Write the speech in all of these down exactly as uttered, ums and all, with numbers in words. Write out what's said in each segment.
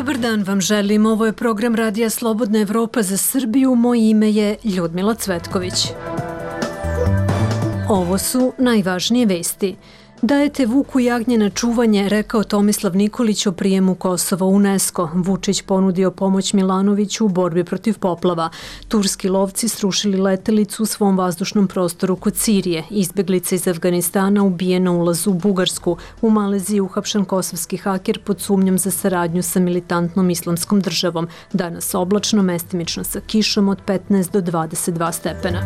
Dobar dan vam želim. Ovo je program Radija Slobodna Evropa za Srbiju. Moje ime je Ljudmila Cvetković. Ovo su najvažnije vesti. Dajete Vuku jagnje na čuvanje, rekao Tomislav Nikolić o prijemu Kosova u UNESCO. Vučić ponudio pomoć Milanoviću u borbi protiv poplava. Turski lovci srušili letelicu u svom vazdušnom prostoru kod Sirije. Izbeglica iz Afganistana ubijena u ulazu u Bugarsku. U Maleziji uhapšen kosovski haker pod sumnjom za saradnju sa militantnom islamskom državom. Danas oblačno, mestimično sa kišom od petnaest do dvadeset dva stepena.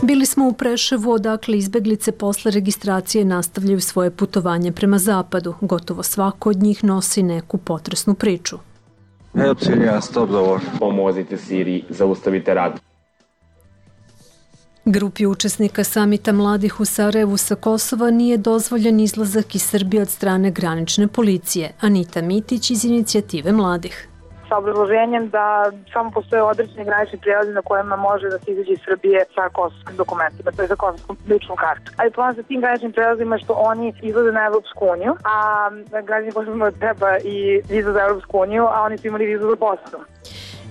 Bili smo u Preševu, odakle izbeglice posle registracije nastavljaju svoje putovanje prema zapadu. Gotovo svako od njih nosi neku potresnu priču. Help Syria, stop the war. Pomozite Siriji, zaustavite rat. Grupi učesnika samita mladih u Sarajevu sa Kosova nije dozvoljen izlazak iz Srbije od strane granične policije. Anita Mitić iz Inicijative mladih. Sa obrazloženjem da samo postoje određeni granični prijelazi na kojima može da se izađe iz Srbije sa kosovskim dokumentima, to je za kosovskom ličnom kartu. Ali plan sa tim graničnim prijelazima je što oni izlaze na Evropsku uniju, a građani Kosova treba i viza za Evropsku uniju, a oni su imali vizu za Bosnu.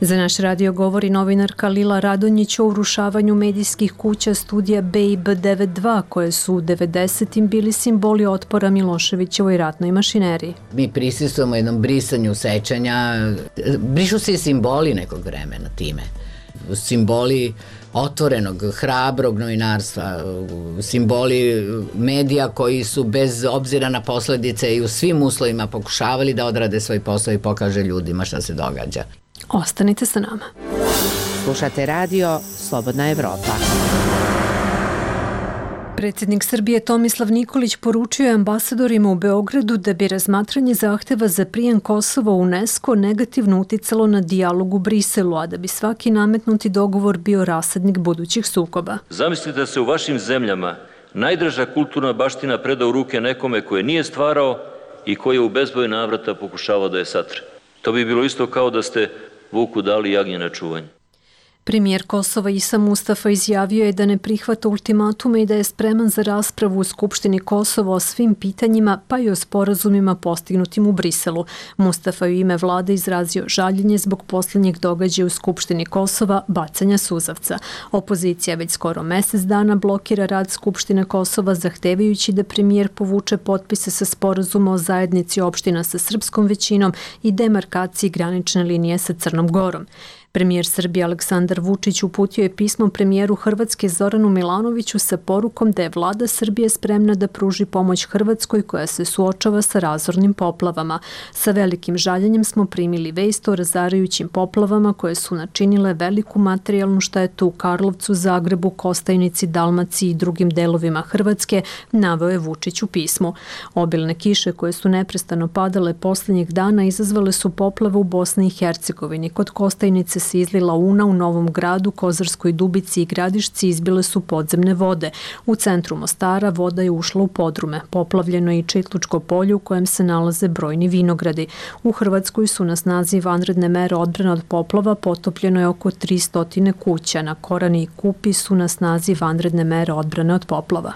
Za naš radio govori novinarka Lila Radonjić o urušavanju medijskih kuća studija B I B devedeset dva, koje su u devedesetim bili simboli otpora Miloševićevoj ratnoj mašineriji. Mi prisustujemo jednom brisanju sećanja, brišu se i simboli nekog vremena time. Simboli otvorenog, hrabrog novinarstva, simboli medija koji su bez obzira na posledice i u svim uslovima pokušavali da odrade svoj posao i pokaže ljudima šta se događa. Ostanite sa nama. Slušate radio Slobodna Evropa. Predsjednik Srbije Tomislav Nikolić poručio je ambasadorima u Beogradu da bi razmatranje zahteva za prijem Kosova u UNESCO negativno uticalo na dijalog u Briselu, a da bi svaki nametnuti dogovor bio rasadnik budućih sukoba. Zamislite da se u vašim zemljama najdraža kulturna baština preda u ruke nekome koje nije stvarao i koji je u bezbroj navrata pokušavao da je satre. To bi bilo isto kao da ste Vuku dali jagnje na čuvanje. Premijer Kosova Isa Mustafa izjavio je da ne prihvata ultimatume i da je spreman za raspravu u Skupštini Kosova o svim pitanjima, pa i o sporazumima postignutim u Briselu. Mustafa je u ime vlade izrazio žaljenje zbog posljednjeg događaja u Skupštini Kosova, bacanja suzavca. Opozicija već skoro mesec dana blokira rad Skupštine Kosova, zahtevajući da premijer povuče potpise sa sporazuma o zajednici opština sa srpskom većinom i demarkaciji granične linije sa Crnom Gorom. Premijer Srbije Aleksandar Vučić uputio je pismo premijeru Hrvatske Zoranu Milanoviću sa porukom da je vlada Srbije spremna da pruži pomoć Hrvatskoj koja se suočava sa razornim poplavama. Sa velikim žaljenjem smo primili vest o razarajućim poplavama koje su načinile veliku materijalnu štetu u Karlovcu, Zagrebu, Kostajnici, Dalmaciji i drugim delovima Hrvatske, naveo je Vučić u pismu. Obilne kiše koje su neprestano padale posljednjih dana izazvale su poplave u Bosni i Hercegovini. Kod Kostajnice se izlila Una, u Novom Gradu, Kozarskoj Dubici i Gradišci izbile su podzemne vode. U centru Mostara voda je ušla u podrume. Poplavljeno je i Čitlučko polje u kojem se nalaze brojni vinogradi. U Hrvatskoj su na snazi vanredne mere odbrane od poplava, potopljeno je oko tristo kuća. Na Korani i Kupi su na snazi vanredne mere odbrane od poplava.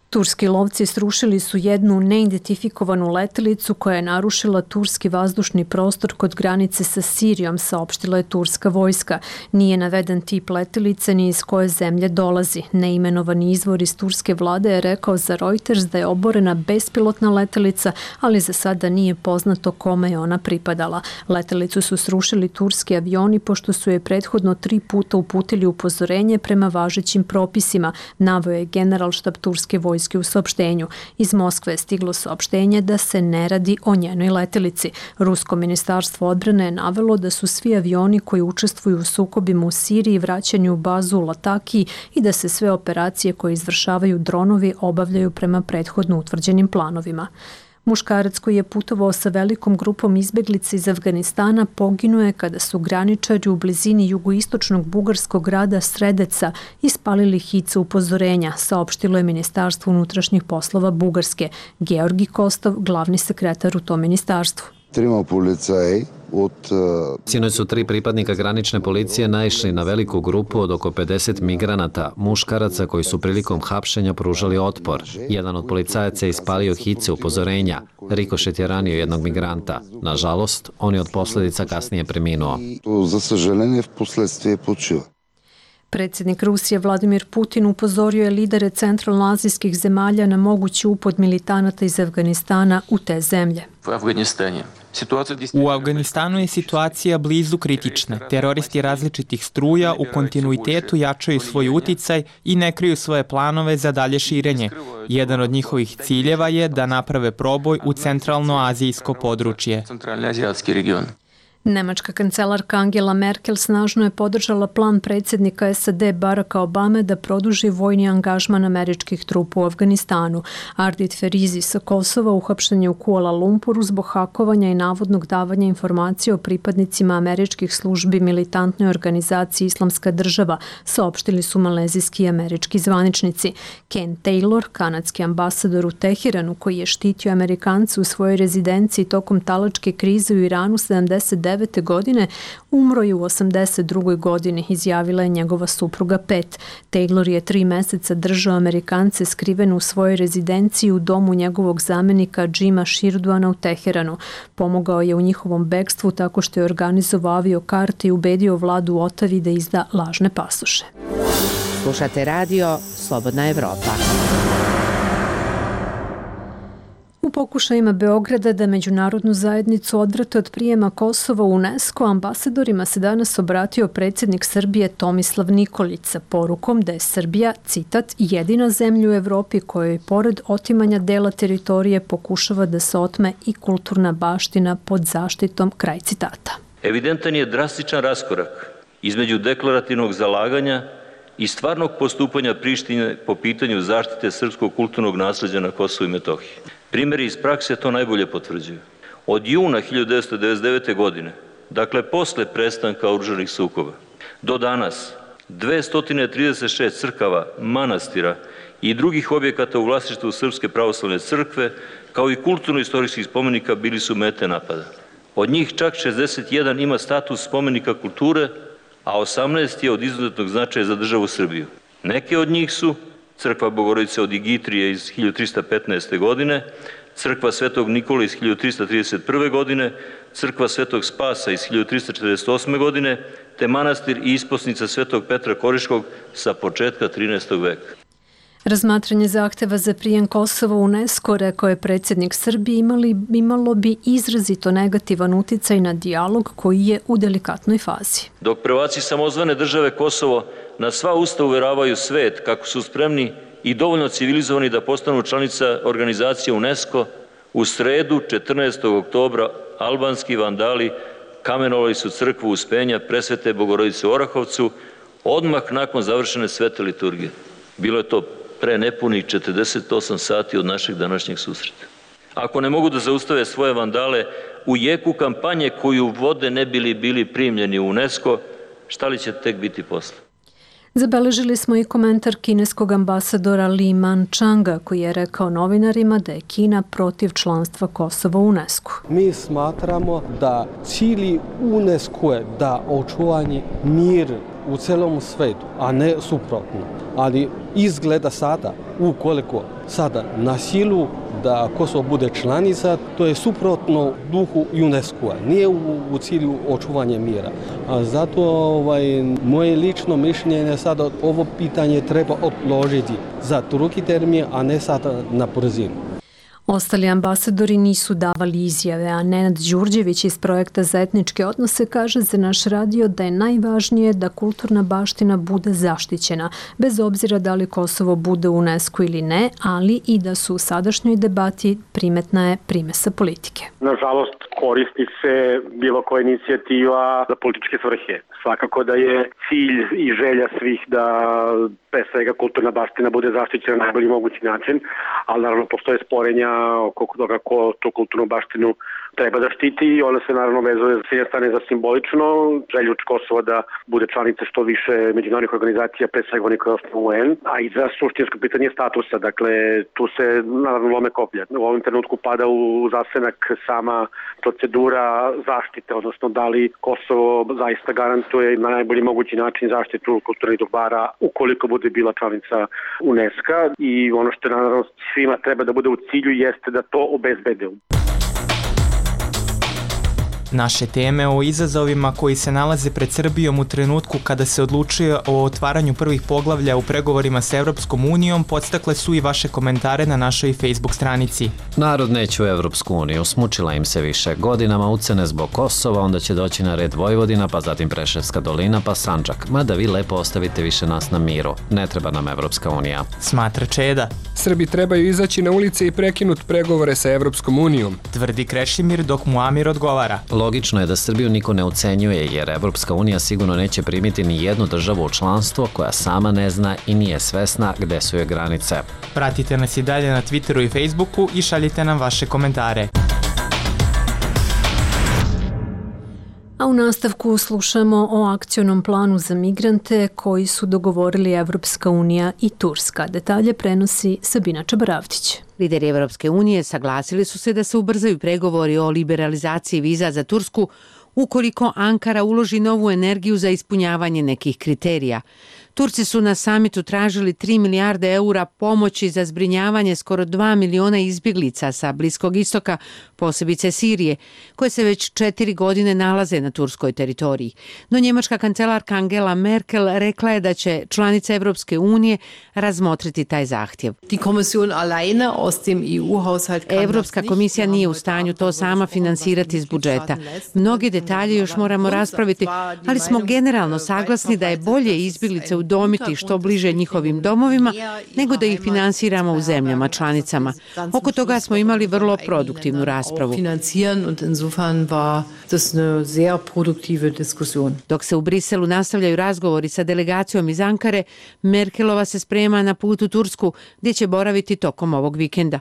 Turski lovci srušili su jednu neidentifikovanu letelicu koja je narušila turski vazdušni prostor kod granice sa Sirijom, saopštila je turska vojska. Nije naveden tip letelice ni iz koje zemlje dolazi. Neimenovani izvor iz turske vlade je rekao za Reuters da je oborena bespilotna letelica, ali za sada nije poznato kome je ona pripadala. Letelicu su srušili turski avioni pošto su je prethodno tri puta uputili upozorenje prema važećim propisima, naveo je generalštab turske vojske u saopštenju. Iz Moskve je stiglo saopštenje da se ne radi o njenoj letelici. Rusko ministarstvo odbrane je navelo da su svi avioni koji učestvuju u sukobima u Siriji vraćani u bazu u Latakiji i da se sve operacije koje izvršavaju dronovi obavljaju prema prethodno utvrđenim planovima. Muškarac koji je putovao sa velikom grupom izbeglica iz Afganistana poginuo je kada su graničari u blizini jugoistočnog bugarskog grada Sredeca ispalili hice upozorenja, saopštilo je Ministarstvo unutrašnjih poslova Bugarske. Georgi Kostov, glavni sekretar u tom ministarstvu. Tрима полицаи od... Sinoć su tri pripadnika granične policije naišli na veliku grupu od oko pedeset migranata, muškaraca koji su prilikom hapšenja pružali otpor. Jedan od policajaca je ispalio hice upozorenja. Rikošet je ranio jednog migranta. Nažalost, on je od posledica kasnije preminuo. Za sažaljenje, v posledstvi počiva. Predsjednik Rusije Vladimir Putin upozorio je lidere centralnoazijskih zemalja na mogući upad militanata iz Afganistana u te zemlje. U Afganistanu je situacija blizu kritične. Teroristi različitih struja u kontinuitetu jačaju svoj uticaj i ne kriju svoje planove za dalje širenje. Jedan od njihovih ciljeva je da naprave proboj u centralnoazijsko područje. Nemačka kancelarka Angela Merkel snažno je podržala plan predsjednika S A D Baracka Obame da produži vojni angažman američkih trupa u Afganistanu. Ardit Ferizi sa Kosova uhapšen je u Kuala Lumpuru zbog hakovanja i navodnog davanja informacija o pripadnicima američkih službi militantnoj organizaciji Islamska država, saopštili su malezijski i američki zvaničnici. Ken Taylor, kanadski ambasador u Teheranu koji je štitio Amerikance u svojoj rezidenciji tokom talačke krize u Iranu sedamdeset devete godine, umro je u osamdeset drugoj godini, izjavila je njegova supruga Pet. Taylor je tri meseca držao Amerikance skrivene u svojoj rezidenciji u domu njegovog zamenika Jima Shirduana u Teheranu. Pomogao je u njihovom bekstvu tako što je organizovao aviokarte i ubedio vladu u Otavi da izda lažne pasoše. Slušate radio Slobodna Evropa. U pokušajima Beograda da međunarodnu zajednicu odvrate od prijema Kosova u UNESCO, ambasadorima se danas obratio predsjednik Srbije Tomislav Nikolić sa porukom da je Srbija, citat, jedina zemlja u Evropi kojoj pored otimanja dela teritorije pokušava da se otme i kulturna baština pod zaštitom, kraj citata. Evidentan je drastičan raskorak između deklarativnog zalaganja i stvarnog postupanja Prištine po pitanju zaštite srpskog kulturnog nasleđa na Kosovu i Metohiji. Primjeri iz prakse to najbolje potvrđuju. Od juna hiljadu devetsto devedeset devete. godine, dakle posle prestanka oružanih sukoba, do danas dvesta trideset šest crkava, manastira i drugih objekata u vlasništvu Srpske pravoslavne crkve, kao i kulturno-istorijskih spomenika bili su mete napada. Od njih čak šezdeset jedan ima status spomenika kulture, a osamnaest je od izuzetnog značaja za državu Srbiju. Neke od njih su Crkva Bogorodice od Igitrije iz hiljadu trista petnaeste. godine, Crkva Svetog Nikole iz hiljadu trista trideset prve. godine, Crkva Svetog Spasa iz hiljadu trista četrdeset osme. godine, te manastir i isposnica Svetog Petra Koriškog sa početka trinaestog. veka. Razmatranje zahteva za prijem Kosova u UNESCO, rekao je predsjednik Srbije, imali, imalo bi izrazito negativan uticaj na dijalog koji je u delikatnoj fazi. Dok prvaci samozvane države Kosovo na sva usta uveravaju svet kako su spremni i dovoljno civilizovani da postanu članica organizacije UNESCO, u sredu četrnaestog oktobra albanski vandali kamenovali su crkvu Uspenja Presvete Bogorodice u Orahovcu odmah nakon završene svete liturgije. Bilo je to pre nepunih četrdeset osam sati od našeg današnjeg susreta. Ako ne mogu da zaustave svoje vandale u jeku kampanje koju vode ne bili bili primljeni u UNESCO, šta li će tek biti posle? Zabeležili smo i komentar kineskog ambasadora Li Man-changa koji je rekao novinarima da je Kina protiv članstva Kosova u UNESCO. Mi smatramo da cilj UNESCO je da očuvanje mir u celom svetu, a ne suprotno. Ali izgleda sada, ukoliko sada na silu da Kosovo bude članica, to je suprotno duhu UNESCO-a, nije u, u cilju očuvanja mira. A zato ovaj, moje lično mišljenje je sada ovo pitanje treba odložiti za drugi termin, a ne sada na brzinu. Ostali ambasadori nisu davali izjave, a Nenad Đurđević iz projekta za etničke odnose kaže za naš radio da je najvažnije da kulturna baština bude zaštićena, bez obzira da li Kosovo bude u UNESCO ili ne, ali i da su u sadašnjoj debati primetna je primesa politike. Nažalost, koristi se bilo koja inicijativa za političke svrhe. Svakako da je cilj i želja svih da pre svega kulturna baština bude zaštićena na najbolji mogući način, ali naravno postoje sporenja oko toga ko tu kulturnu baštinu treba da štiti i ona se naravno vezuje s jedne strane za simbolično želju Kosova da bude članica što više međunarodnih organizacija, pre svega onih koje osnovu U N, a i za suštinsko pitanje statusa. Dakle, tu se naravno lome koplja. U ovom trenutku pada u zasenak sama to procedura zaštite, odnosno da li Kosovo zaista garantuje na najbolji mogući način zaštitu kulturnih dobara ukoliko bude bila članica UNESCO i ono što naravno svima treba da bude u cilju jeste da to obezbede. Naše teme o izazovima koji se nalaze pred Srbijom u trenutku kada se odlučuje o otvaranju prvih poglavlja u pregovorima sa Evropskom unijom podstakle su i vaše komentare na našoj Facebook stranici. Narod neće u Evropsku uniju, smučila im se više. Godinama ucene zbog Kosova, onda će doći na red Vojvodina, pa zatim Preševska dolina, pa Sandžak. Mada vi lepo ostavite više nas na miru. Ne treba nam Evropska unija. Smatra Čeda. Srbi trebaju izaći na ulice i prekinut pregovore sa Evropskom unijom. Tvrdi Krešimir dok mu Amir odgovara. Logično je da Srbiju niko ne ucenjuje jer Evropska unija sigurno neće primiti ni jednu državu u članstvo koja sama ne zna i nije svesna gde su joj granice. Pratite nas i dalje na Twitteru i Facebooku i šaljite nam vaše komentare. A u nastavku slušamo o akcionom planu za migrante koji su dogovorili Evropska unija i Turska. Detalje prenosi Sabina Čabaravdić. Lideri Evropske unije saglasili su se da se ubrzaju pregovori o liberalizaciji viza za Tursku ukoliko Ankara uloži novu energiju za ispunjavanje nekih kriterija. Turci su na samitu tražili tri milijarde eura pomoći za zbrinjavanje skoro dva miliona izbjeglica sa Bliskog istoka, posebice Sirije, koje se već četiri godine nalaze na turskoj teritoriji. No njemačka kancelarka Angela Merkel rekla je da će članice Evropske unije razmotriti taj zahtjev. Evropska komisija nije u stanju to sama finansirati iz budžeta. Mnogi detalje još moramo raspraviti, ali smo generalno saglasni da je bolje izbjeglice udomiti što bliže njihovim domovima, nego da ih finansiramo u zemljama članicama. Oko toga smo imali vrlo produktivnu raspravu. Dok se u Briselu nastavljaju razgovori sa delegacijom iz Ankare, Merkelova se sprema na put u Tursku, gdje će boraviti tokom ovog vikenda.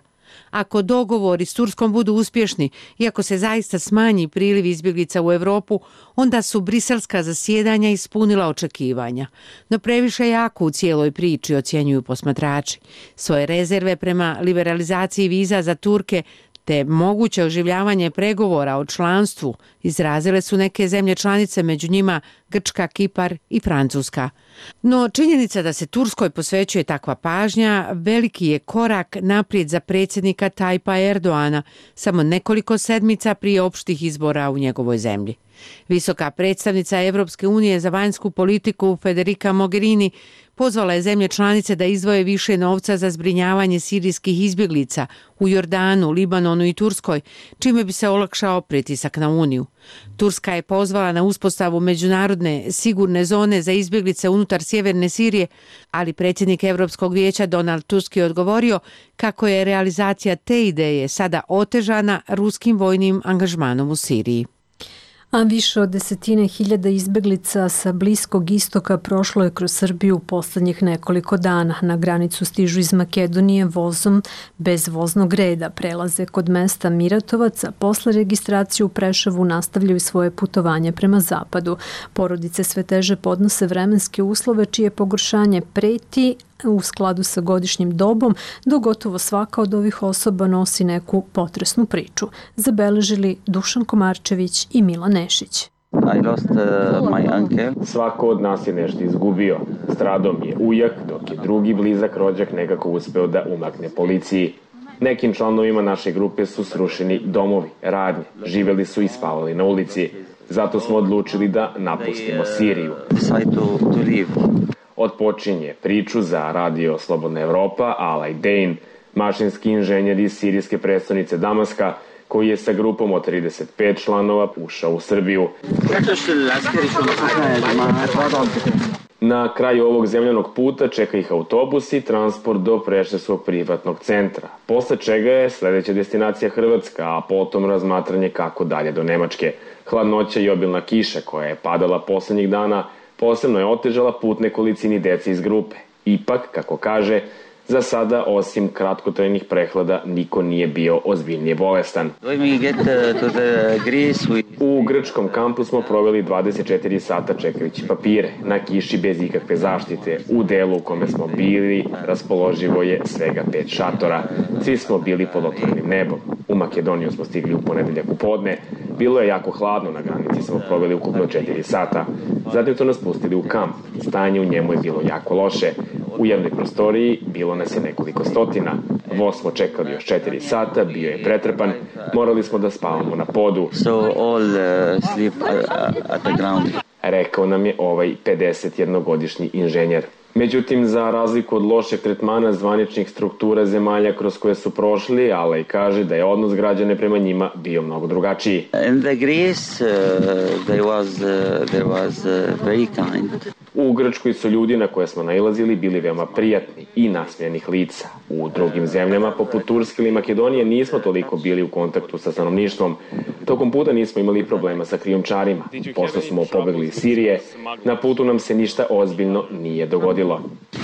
Ako dogovori s Turskom budu uspješni i ako se zaista smanji priliv izbjeglica u Europu, onda su briselska zasjedanja ispunila očekivanja. No previše jako u cijeloj priči, ocjenjuju posmatrači. Svoje rezerve prema liberalizaciji viza za Turke te moguće oživljavanje pregovora o članstvu izrazile su neke zemlje članice, među njima Grčka, Kipar i Francuska. No činjenica da se Turskoj posvećuje takva pažnja veliki je korak naprijed za predsjednika Tajpa Erdoana, samo nekoliko sedmica prije opštih izbora u njegovoj zemlji. Visoka predstavnica Evropske unije za vanjsku politiku Federica Mogherini pozvala je zemlje članice da izdvoje više novca za zbrinjavanje sirijskih izbjeglica u Jordanu, Libanonu i Turskoj, čime bi se olakšao pritisak na Uniju. Turska je pozvala na uspostavu međunarodne sigurne zone za izbjeglice unutar sjeverne Sirije, ali predsjednik Evropskog vijeća Donald Tusk je odgovorio kako je realizacija te ideje sada otežana ruskim vojnim angažmanom u Siriji. A više od desetine hiljada izbeglica sa Bliskog istoka prošlo je kroz Srbiju u posljednjih nekoliko dana. Na granicu stižu iz Makedonije vozom bez voznog reda. Prelaze kod mesta Miratovac, a posle registracije u Preševu nastavljaju svoje putovanje prema zapadu. Porodice sve teže podnose vremenske uslove čije pogoršanje preti u skladu sa godišnjim dobom, dok gotovo svaka od ovih osoba nosi neku potresnu priču. Zabeležili Dušan Komarčević i Milan Nešić. I lost uh, my uncle. Svako od nas je nešto izgubio. Stradao mi je ujak, dok je drugi blizak rođak nekako uspeo da umakne policiji. Nekim članovima naše grupe su srušeni domovi, radnje, živeli su i spavali na ulici. Zato smo odlučili da napustimo Siriju. Odpočinje priču za radio Slobodna Evropa Alay Dane, mašinski inženjer iz sirijske prestonice Damaska, koji je sa grupom od trideset pet članova ušao u Srbiju. Na kraju ovog zemljanog puta čeka ih autobus i transport do Preševskog privatnog centra, posle čega je sledeća destinacija Hrvatska, a potom razmatranje kako dalje do Nemačke. Hladnoća i obilna kiša koja je padala poslednjih dana posebno je otežala put nekolicini dece iz grupe. Ipak, kako kaže, za sada, osim kratkotrajnih prehlada, niko nije bio ozbiljnije bolestan. U grčkom kampu smo proveli dvadeset četiri sata čekajući papire, na kiši bez ikakve zaštite. U delu u kome smo bili raspoloživo je svega pet šatora. Svi smo bili pod otvorenim nebom. U Makedoniju smo stigli u ponedeljak u podne. Bilo je jako hladno, na granici smo proveli ukupno četiri sata. Zatim su nas pustili u kamp. Stanje u njemu je bilo jako loše. U jednoj prostoriji bilo nas je nekoliko stotina. Voz smo čekali još četiri sata, bio je pretrpan, morali smo da spavamo na podu. So all uh, sleep at the ground. Rekao nam je ovaj pedesetjednogodišnji inženjer. Međutim, za razliku od lošeg tretmana zvaničnih struktura zemalja kroz koje su prošli, Alej kaže da je odnos građane prema njima bio mnogo drugačiji. In the Greece, uh, there was, uh, there was uh, very kind. U Grčkoj su ljudi na koje smo nailazili bili veoma prijatni i nasmijanih lica. U drugim zemljama, poput Turske ili Makedonije, nismo toliko bili u kontaktu sa stanovništvom. Tokom puta nismo imali problema sa krijumčarima. Pošto smo pobegli iz Sirije, na putu nam se ništa ozbiljno nije dogodilo.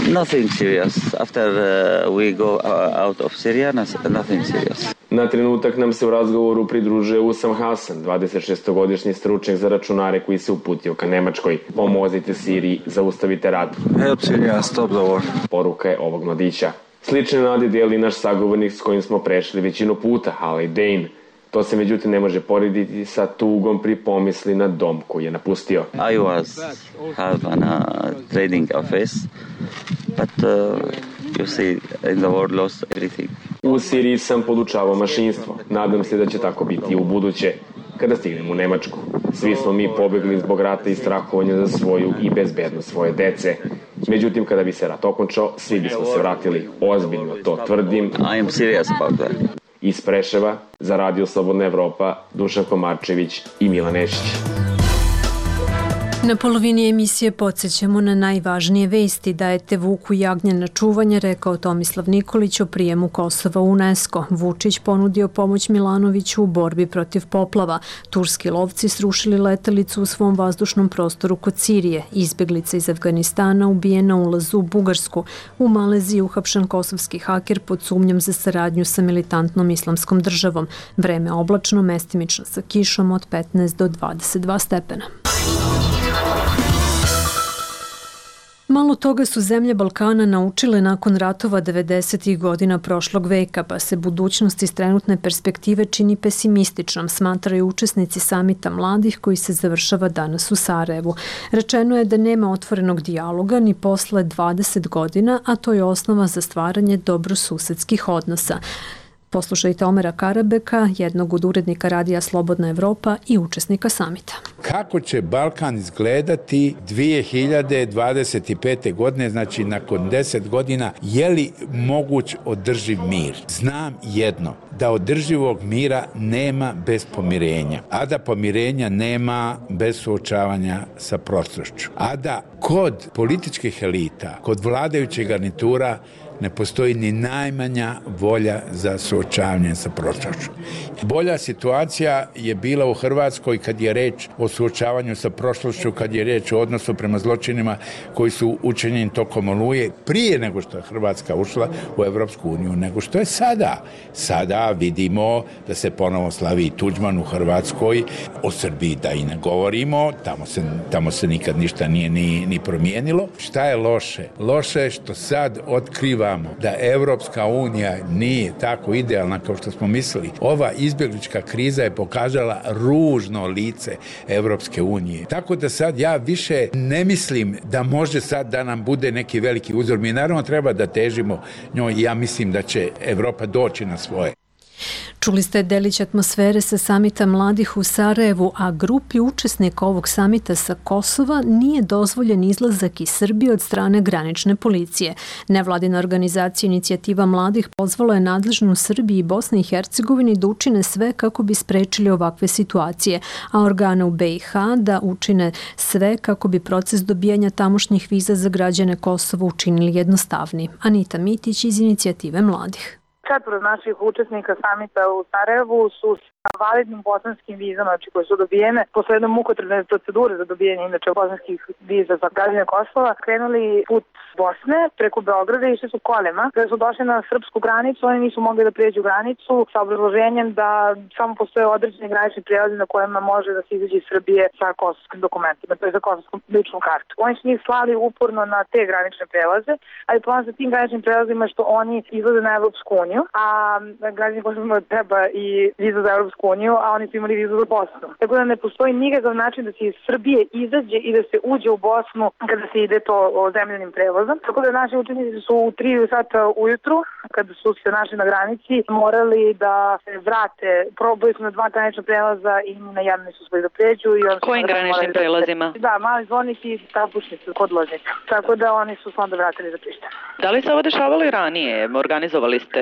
Nothing serious. After uh, we go uh, out of Syria, nothing serious. Na trenutak nam se u razgovoru pridružuje Usam Hasan, dvadesetšestogodišnji stručnjak za računare koji se uputio ka Nemačkoj. Pomozite Siriji, zaustavite rat. Help Syria, stop the war. Poruka je ovog mladića. Slične nade dijeli naš sagovornik s kojim smo prešli većinu puta, Alej Dane. To se međutim ne može porediti sa tugom pri pomisli na dom koji je napustio. I was half on a trading office, but uh, you see, in the world lost everything. U Siriji sam podučavao mašinstvo. Nadam se da će tako biti i u buduće, kada stignem u Nemačku. Svi smo mi pobegli zbog rata i strahovanja za svoju i bezbednost svoje dece. Međutim, kada bi se rat okončao, svi bismo se vratili. Ozbiljno to tvrdim. I am serious about that. Iz Preševa, za Radio Slobodna Evropa, Dušan Komarčević i Milan Nešić. Na polovini emisije podsjećamo na najvažnije vesti. Dajete Vuku jagnje na čuvanje, rekao Tomislav Nikolić o prijemu Kosova u UNESCO. Vučić ponudio pomoć Milanoviću u borbi protiv poplava. Turski lovci srušili letelicu u svom vazdušnom prostoru kod Sirije. Izbjeglica iz Afganistana ubijena u ulazu u Bugarsku. U Maleziji uhapšen kosovski haker pod sumnjom za saradnju sa militantnom islamskom državom. Vreme oblačno, mestimično sa kišom od petnaest do dvadeset dva stepena. Malo toga su zemlje Balkana naučile nakon ratova devedesetih godina prošlog veka, pa se budućnost iz trenutne perspektive čini pesimističnom, smatraju učesnici samita mladih koji se završava danas u Sarajevu. Rečeno je da nema otvorenog dijaloga ni posle dvadeset godina, a to je osnova za stvaranje dobrosusedskih odnosa. Poslušajte Omera Karabeka, jednog od urednika Radija Slobodna Evropa i učesnika samita. Kako će Balkan izgledati dvije hiljade dvadeset pete. godine, znači nakon deset godina, je li moguć održiv mir? Znam jedno, da održivog mira nema bez pomirenja, a da pomirenja nema bez suočavanja sa prošlošću, a da kod političkih elita, kod vladajućeg garnitura ne postoji ni najmanja volja za suočavanje sa prošlošću. Bolja situacija je bila u Hrvatskoj kad je reč o suočavanju sa prošlošću, kad je reč o odnosu prema zločinima koji su učinjeni tokom Oluje prije nego što je Hrvatska ušla u Evropsku uniju, nego što je sada. Sada vidimo da se ponovo slavi Tuđman u Hrvatskoj, o Srbiji da i ne govorimo, tamo se, tamo se nikad ništa nije ni, ni promijenilo. Šta je loše? Loše je što sad otkriva da Evropska unija nije tako idealna kao što smo mislili. Ova izbjeglička kriza je pokazala ružno lice Evropske unije. Tako da sad ja više ne mislim da može sad da nam bude neki veliki uzor. Mi naravno treba da težimo njoj i ja mislim da će Evropa doći na svoje. Čuli ste delić atmosfere sa samita mladih u Sarajevu, a grupi učesnika ovog samita sa Kosova nije dozvoljen izlazak iz Srbije od strane granične policije. Nevladina organizacija Inicijativa mladih pozvala je nadležnu Srbiji i Bosni i Hercegovini da učine sve kako bi sprečili ovakve situacije, a organe u be i ha da učine sve kako bi proces dobijanja tamošnjih viza za građane Kosova učinili jednostavniji. Anita Mitić iz Inicijative mladih. Četvoro naših učesnika samita u Sarajevu su sa validnim bosanskim vizama, znači koje su dobijene posle jedne mukotrpne procedure za dobijanje inače bosanskih viza za građane Kosova, krenuli put Bosne preko Beograda i išli su kolima. Kada su došli na srpsku granicu, oni nisu mogli da prijeđu granicu sa obrazloženjem da samo postoje određeni granični prijelazi na kojima može da se izađe iz Srbije sa kosovskim dokumentima, to je za kosovskom ličnu kartu. Oni su njih slali uporno na te granične prelaze, ali plan sa tim graničnim prelazima je što oni izlaze na Evropsku uniju. uniju, a građani Kosova treba i vizu za Europsku uniju, a oni su imali vizu za Bosnu. Tako da ne postoji nikakav način da se iz Srbije izađe i da se uđe u Bosnu kada se ide to zemljanim prevozom. Tako da naši učenici su u tri sata ujutru, kada su se našli na granici, morali da se vrate. Probali su na dva granična prelaza i na jedan nisu uspeli da pređu. I on Kojim graničnim prelazima? Da, mali zvonik i Trabušnica kod Loznica. Tako da oni su se onda vratili za Prištinu. Da li se ovo dešavalo i ranije? Organizovali ste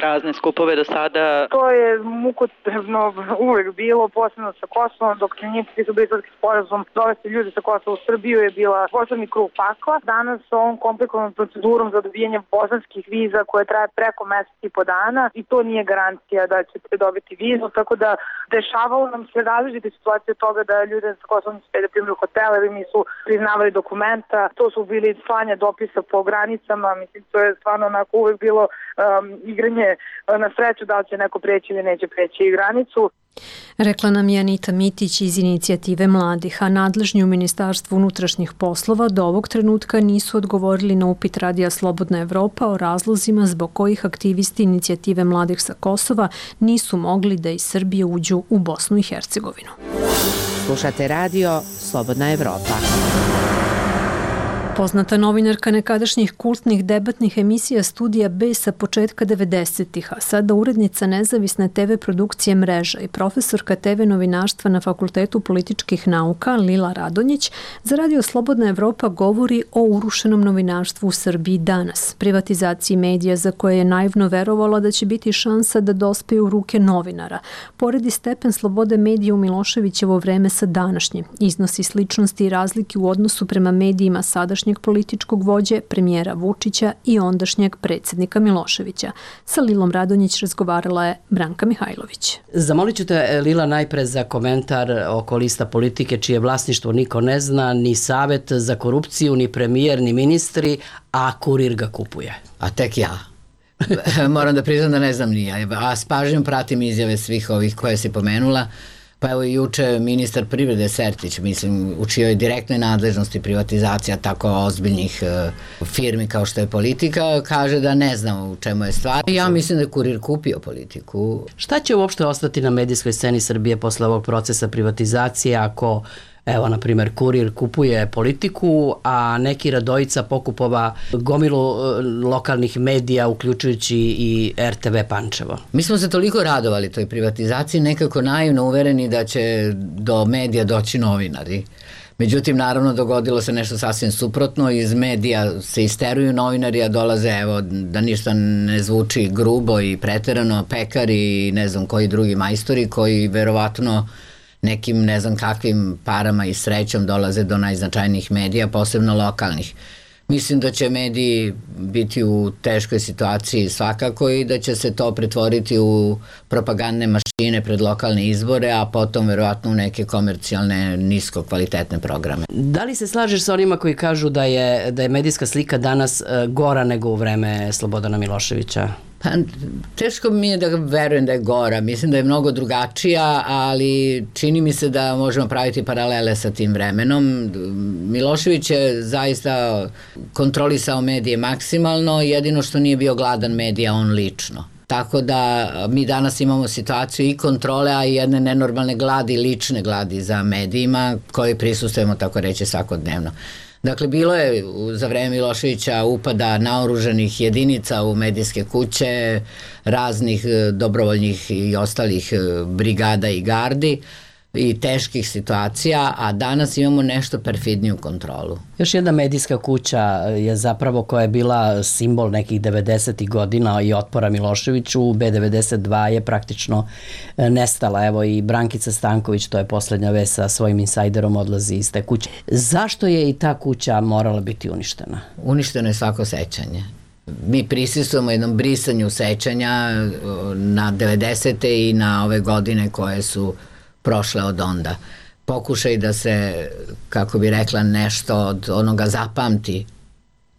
razne skupove do sada? To je mukotrpno uvek bilo, posebno sa Kosovom, dok se nije potpisao Briselski sporazum, dovesti ljudi sa Kosova u Srbiju je bila poslednji krug pakla. Danas s ovom komplikovanom procedurom za dobijanje bosanskih viza koje traje preko mesec i po dana i to nije garancija da ćete dobiti vizu, tako da dešavalo nam se različite situacije od toga da ljude sa Kosovom nisu da primaju hotele ili nisu priznavali dokumenta. To su bili slanje dopisa po granicama, mislim to je stvarno onako uvek bilo um, igranje na sreću da li će neko preći ili neće preći granicu. Rekla nam je Anita Mitić iz Inicijative mladih, a nadležni u Ministarstvu unutrašnjih poslova do ovog trenutka nisu odgovorili na upit Radija Slobodna Evropa o razlozima zbog kojih aktivisti Inicijative mladih sa Kosova nisu mogli da iz Srbije uđu u Bosnu i Hercegovinu. Slušate radio Slobodna Evropa. Poznata novinarka nekadašnjih kultnih debatnih emisija Studija B sa početka devedesetih, a sada urednica nezavisne te ve produkcije Mreža i profesorka te ve novinarstva na Fakultetu političkih nauka Lila Radonjić za Radio Slobodna Evropa govori o urušenom novinarstvu u Srbiji danas, privatizaciji medija za koje je naivno verovala da će biti šansa da dospe u ruke novinara. Poredi stepen slobode medija u Miloševićevo vreme sa današnjim, iznosi sličnosti i razlike u odnosu prema medijima sadašnjeg političkog vođe, premijera Vučića i ondašnjeg predsjednika Miloševića. Sa Lilom Radonjić razgovarala je Branka Mihajlović. Zamolit ću te, Lila, najpre za komentar oko lista politike čije vlasništvo niko ne zna, ni Savet za korupciju, ni premijer, ni ministri, a Kurir ga kupuje. A tek ja. Moram da priznam da ne znam ni ja, a s pažnjom pratim izjave svih ovih koje si pomenula. Pa evo i juče ministar privrede Sertić, mislim, u čijoj direktnoj nadležnosti privatizacija tako ozbiljnih uh, firmi kao što je Politika, kaže da ne znam u čemu je stvar. Ja mislim da je Kurir kupio Politiku. Šta će uopšte ostati na medijskoj sceni Srbije posle ovog procesa privatizacije ako, evo, na primjer, Kurir kupuje Politiku, a neki Radojica pokupova gomilu lokalnih medija, uključujući i er te ve Pančevo? Mi smo se toliko radovali toj privatizaciji, nekako naivno uvereni da će do medija doći novinari. Međutim, naravno, dogodilo se nešto sasvim suprotno. Iz medija se isteruju novinari, a dolaze, evo, da ništa ne zvuči grubo i preterano, pekari i ne znam koji drugi majstori koji verovatno nekim ne znam kakvim parama i srećom dolaze do najznačajnijih medija, posebno lokalnih. Mislim da će mediji biti u teškoj situaciji svakako i da će se to pretvoriti u propagandne mašine pred lokalne izbore, a potom verovatno u neke komercijalne nisko kvalitetne programe. Da li se slažeš sa onima koji kažu da je, da je medijska slika danas gora nego u vreme Slobodana Miloševića? Pa, teško mi je da verujem da je gora, mislim da je mnogo drugačija, ali čini mi se da možemo praviti paralele sa tim vremenom. Milošević je zaista kontrolisao medije maksimalno, jedino što nije bio gladan medija on lično. Tako da mi danas imamo situaciju i kontrole, a i jedne nenormalne gladi, lične gladi za medijima koji prisustujemo, tako reći, svakodnevno. Dakle, bilo je za vreme Miloševića upada naoruženih jedinica u medijske kuće, raznih dobrovoljnih i ostalih brigada i gardi i teških situacija, a danas imamo nešto perfidniju kontrolu. Još jedna medijska kuća je zapravo koja je bila simbol nekih devedesetih godina i otpora Miloševiću, be devedeset dva je praktično nestala. Evo i Brankica Stanković, to je poslednja vest, sa svojim insajderom odlazi iz te kuće. Zašto je i ta kuća morala biti uništena? Uništeno je svako sećanje. Mi prisustujemo jednom brisanju sećanja na devedesete i na ove godine koje su prošle od onda. Pokušaj da se, kako bi rekla, nešto od onoga zapamti,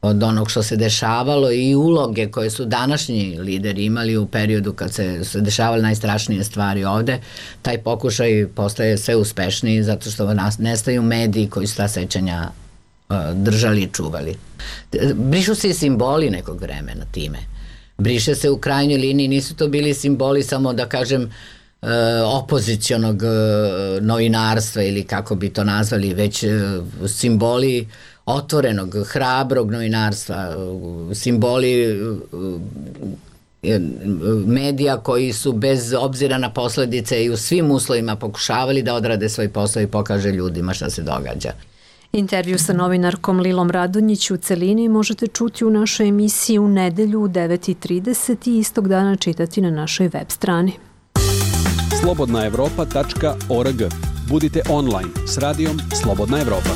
od onog što se dešavalo i uloge koje su današnji lideri imali u periodu kad se, se dešavale najstrašnije stvari ovde, taj pokušaj postaje sve uspešniji zato što nas nestaju mediji koji su ta sećanja uh, držali i čuvali. Brišu se i simboli nekog vremena time. Briše se u krajnjoj liniji, nisu to bili simboli samo da kažem opozicionog novinarstva ili kako bi to nazvali, već simboli otvorenog, hrabrog novinarstva, simboli medija koji su bez obzira na posledice i u svim uslovima pokušavali da odrade svoj posao i pokaže ljudima šta se događa. Intervju sa novinarkom Lilom Radonjić u celini možete čuti u našoj emisiji u nedelju u devet i trideset i istog dana čitati na našoj web strani. slobodna evropa tačka org. Budite online s radijom Slobodna Evropa.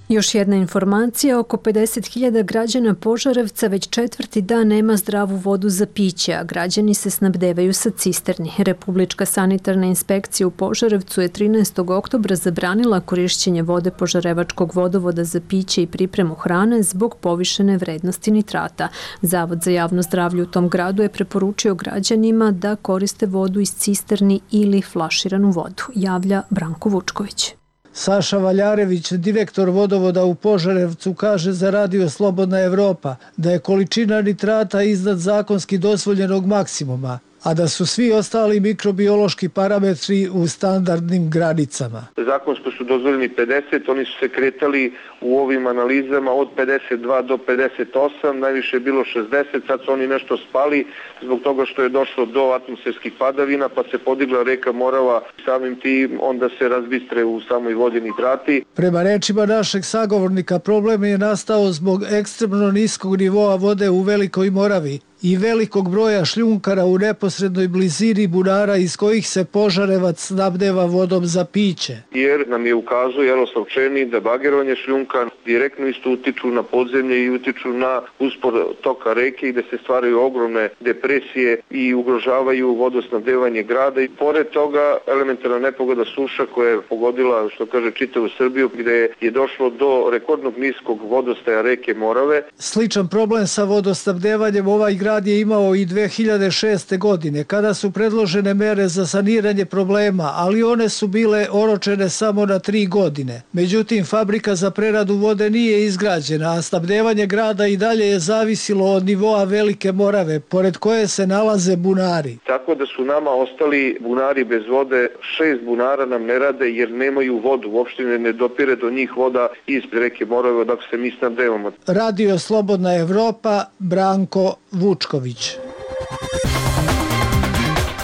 Još jedna informacija, oko pedeset hiljada građana Požarevca već četvrti dan nema zdravu vodu za piće, a građani se snabdevaju sa cisterni. Republička sanitarna inspekcija u Požarevcu je trinaestog oktobra zabranila korišćenje vode Požarevačkog vodovoda za piće i pripremu hrane zbog povišene vrednosti nitrata. Zavod za javno zdravlje u tom gradu je preporučio građanima da koriste vodu iz cisterni ili flaširanu vodu, javlja Branko Vučković. Saša Valjarević, direktor vodovoda u Požarevcu, kaže za Radio Slobodna Evropa da je količina nitrata iznad zakonski dozvoljenog maksimuma, a da su svi ostali mikrobiološki parametri u standardnim granicama. Zakonsko su dozvoljeni pedeset, oni su se kretali u ovim analizama od pedeset dva do pedeset osam, najviše je bilo šezdeset, sad su oni nešto spali zbog toga što je došlo do atmosferskih padavina, pa se podigla reka Morava, samim tim onda se razbistre u samoj vodi nitrati. Prema rečima našeg sagovornika, problem je nastao zbog ekstremno niskog nivoa vode u Velikoj Moravi i velikog broja šljunkara u neposrednoj blizini bunara iz kojih se Požarevac snabdeva vodom za piće. Jer nam je ukazao Jaroslav Černi da bagerovanje šljunka direktno isto utiču na podzemlje i utiču na uspor toka reke i da se stvaraju ogromne depresije i ugrožavaju vodosnabdevanje grada. I pored toga elementarna nepogoda suša koja je pogodila, što kaže, čitavu Srbiju, gde je došlo do rekordnog niskog vodostaja reke Morave. Sličan problem sa vodosnabdevanjem ovaj grad je imao i dve hiljade šeste. godine, kada su predložene mere za saniranje problema, ali one su bile oročene samo na tri godine. Međutim, fabrika za preradu vode nije izgrađena, a snabdevanje grada i dalje je zavisilo od nivoa Velike Morave, pored koje se nalaze bunari. Tako da su nama ostali bunari bez vode, šest bunara nam ne rade jer nemaju vodu, uopšte ne dopire do njih voda ispred reke Morave, dok se mi snabdevamo. Radio Slobodna Evropa, Branko Vučković.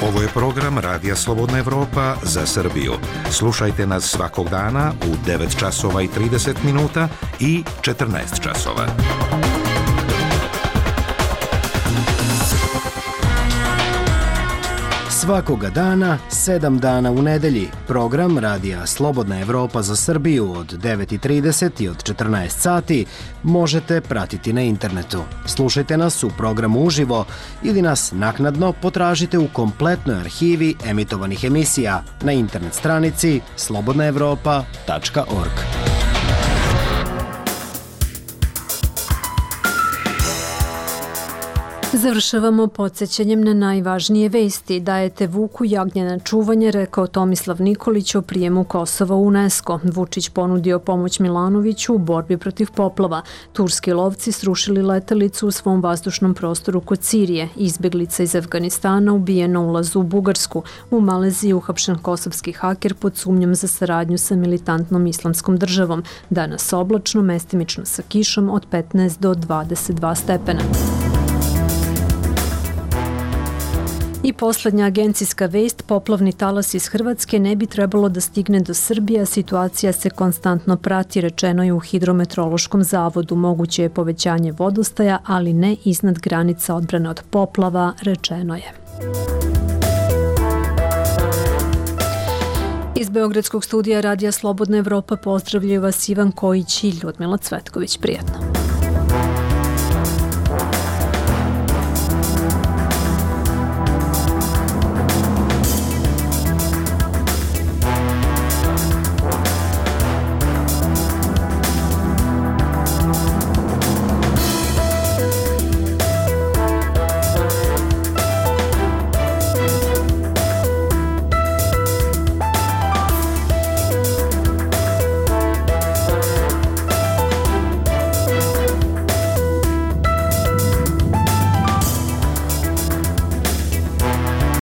Ovo je program Radija Slobodna Evropa za Srbiju. Slušajte nas svakog dana u devet časova i trideset minuta i četrnaest časova. Svakoga dana, sedam dana u nedelji, program Radija Slobodna Evropa za Srbiju od devet i trideset i od četrnaest sati možete pratiti na internetu. Slušajte nas u programu uživo ili nas naknadno potražite u kompletnoj arhivi emitovanih emisija na internet stranici slobodna evropa tačka org. Završavamo podsjećanjem na najvažnije vesti. Dajete Vuku jagnje na čuvanje, rekao Tomislav Nikolić o prijemu Kosova u UNESCO. Vučić ponudio pomoć Milanoviću u borbi protiv poplava. Turski lovci srušili letelicu u svom vazdušnom prostoru kod Sirije. Izbeglica iz Afganistana ubijena u ulazu u Bugarsku. U Maleziji uhapšen kosovski haker pod sumnjom za saradnju sa militantnom islamskom državom. Danas oblačno, mestimično sa kišom od petnaest do dvadeset dva stepena. I poslednja agencijska vest, poplavni talas iz Hrvatske ne bi trebalo da stigne do Srbije, a situacija se konstantno prati, rečeno je u Hidrometeorološkom zavodu. Moguće je povećanje vodostaja, ali ne iznad granica odbrane od poplava, rečeno je. Iz Beogradskog studija Radija Slobodna Evropa pozdravljaju vas Ivan Kojić i Ljudmila Cvetković. Prijetno.